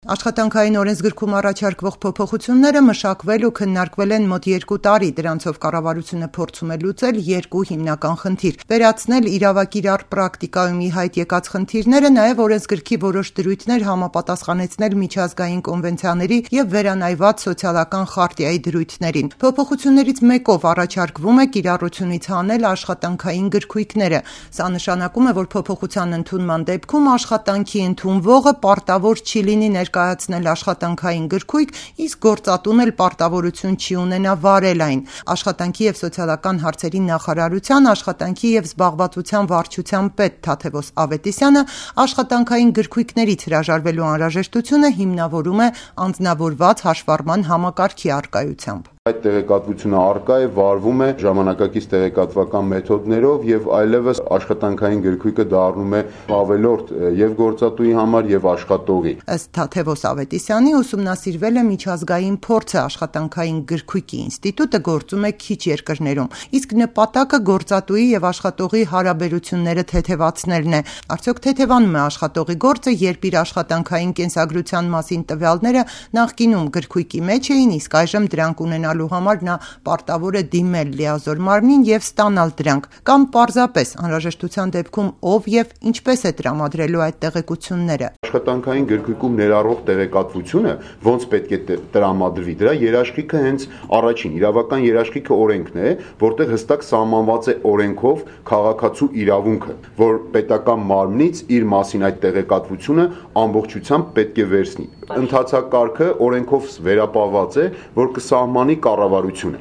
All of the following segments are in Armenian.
Աշխատանքային օրենսգրքում առաջարկվող փոփոխությունները մշակվել ու քննարկվել են մոտ 2 տարի, դրանցով կառավարությունը փորձում է լուծել երկու հիմնական խնդիր՝ վերացնել իրավակիրառ պրակտիկայում ի հայտ եկած խնդիրները, նաև օրենսգրքի որոշ դրույթներ համապատասխանեցնել միջազգային կոնվենցիաների և վերանայված սոցիալական խարտիայի դրույթներին։ Փոփոխություններից մեկով առաջարկվում է կիրառությունից հանել աշխատանքային գրքույկները։ Սա նշանակում է, որ փոփոխության ընդունման դեպքում աշխատանքի ընդունվողը պարտավոր չի լինի ներկայացնել աշխատանքային գրքույկ, իսկ գործատուն էլ պարտավորություն չի ունենա վարել այն։ Աշխատանքի և սոցիալական հարցերի նախարարության աշխատանքի և զբաղվածության վարչության պետ Թադևոս Ավետիսյանը աշխատանքային գրքույկներից հրաժարվելու անհրաժեշտությունը հիմնավորում է անձնավորված հաշվառման համակարգի առկայությամբ։ Այդ տեղեկատվությունը առկա է, վարվում է ժամանակակից տեղեկատվական մեթոդներով և այլևս աշխատանքային գրքույկը դառնում է ավելորդ և գործատուի համար և աշխատողի։ Ըստ Թադևոս Ավետիսյանի ուսումնասիրվել է միջազգային փորձը, աշխատանքային գրքույկի ինստիտուտը գործում է քիչ երկրներում, իսկ նպատակը գործատուի և աշխատողի հարաբերությունները թեթևացնելն է։ Արդյոք թեթևանում է աշխատողի գործը, երբ իր աշխատանքային կենսագրության մասին տվյալները նախկինում գրքույկի մեջ էին, իսկ այժմ դրանք ունենալու համար նա պարտավոր է դիմել լիազոր մարմնին և ստանալ դրանք, կամ պարզապես անհրաժեշտության դեպքում ով և ինչպես է տրամադրելու այդ տեղեկությունները։ Աշխատանքային գրքույկում ներառվող տեղեկատվությունը ոնց պետք է տրամադրվի, դրա երաշխիքը հենց առաջին իրավական երաշխիքը օրենքն է, որտեղ հստակ սահմանված է օրենքով քաղաքացու իրավունքը, որ պետական մարմնից իր մասին այդ տեղեկատվությունը ամբողջությամբ պետք է վերցնի։ Ընթացակարգը օրենքով վերապահված է, որ կսահմանի կառավարությունը։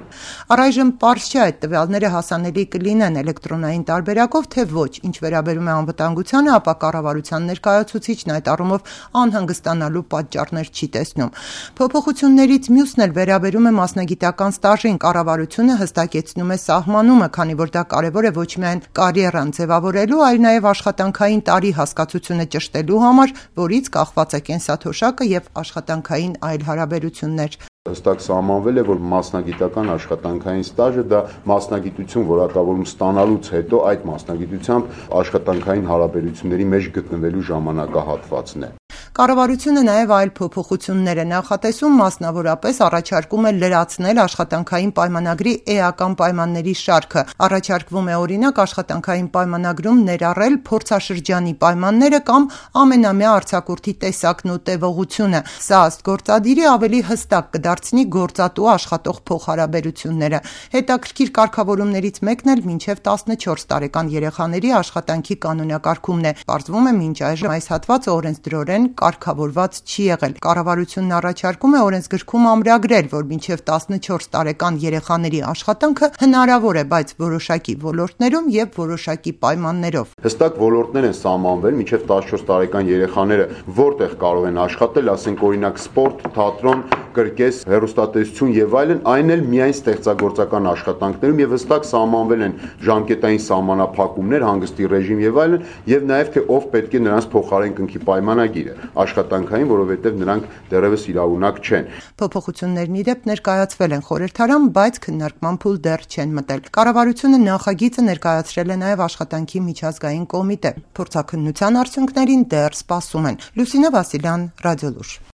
Առայժմ պարզ չէ այդ տվյալները հասանելի կլինեն էլեկտրոնային տարբերակով, թե ոչ։ Ինչ վերաբերում է անվտանգությանը, ապա կառավարության ներկայացուցիչն այդ առումով անհանգստանալու պատճառներ չի տեսնում։ Փոփոխություններից մյուսն էլ վերաբերում է մասնագիտական ստաժին։ Կառավարությունը հստակեցնում է սահմանումը, քանի որ դա կարևոր է ոչ միայն կարիերան ձևավորելու, այլ նաև աշխատանքային տարի հասկացությունը ճշտելու համար, որից կախված է կենսաթոշակը և աշխատանքային այլ հարաբերություններ։ Հստակ սահմանվել է, որ մասնագիտական աշխատանքային ստաժը դա մասնագիտություն որակավորում ստանալուց հետո այդ մասնագիտությամբ աշխատանքային հարաբերությունների մեջ գտնվելու ժամանակահատվածն է։ Կառավարությունը նաև այլ փոփոխություններ է նախատեսում, մասնավորապես առաջարկում է լրացնել աշխատանքային պայմանագրի էական պայմանների շարքը։ Առաջարկվում է օրինակ աշխատանքային պայմանագրում ներառել փորձաշրջանի պայմանները կամ ամենամյա արձակուրդի տեսակն ու տևողությունը։ Սա ըստ գործադիրի ավելի հստակ կդարձնի գործատու աշխատող փոխհարաբերությունները։ Հետաքրքիր կարգավորումներից մեկն էլ մինչև 14 տարեկան երեխաների աշխատանքի կանոնակարգումն է։ Պարզվում է մինչ այժմ այս հատվածը օրենսդրորեն կարգավորված չի եղել։ Կառավարությունն առաջարկում է օրենսգրքում ամրագրել, որ մինչև 14 տարեկան երեխաների աշխատանքը հնարավոր է, բայց որոշակի ոլորտներում և որոշակի պայմաններով։ Հստակ ոլորտներ են սահմանվել, մինչև 14 տարեկան երեխաները որտեղ կարող են աշխատել, ասենք օրինակ սպորտ, թատրոն, կրկես, հեռուստատեսություն եւ այլն, այն էլ միայն ստեղծագործական աշխատանքներում եւ հստակ սահմանվել են ժամկետային սահմանափակումներ, հանգստի ռեժիմ եւ այլն, եւ նաեւ թե ով պետք է նրանց փոխարեն կնքի պայմանագիրը աշխատանքային, որովհետև նրանք դեռևս իրավունակ չեն։ Փոփոխություններն ի դեպ ներկայացվել են խորհրդարան, բայց քննարկման փուլ դեռ չեն մտել։ Կառավարությունը նախագիծը ներկայացրել է նաև աշխատանքի միջազգային կոմիտե։ Փորձաքննության արդյունքներին դեռ սպասում են։ Լուսինե Վասիլյան, Ռադիոլուր։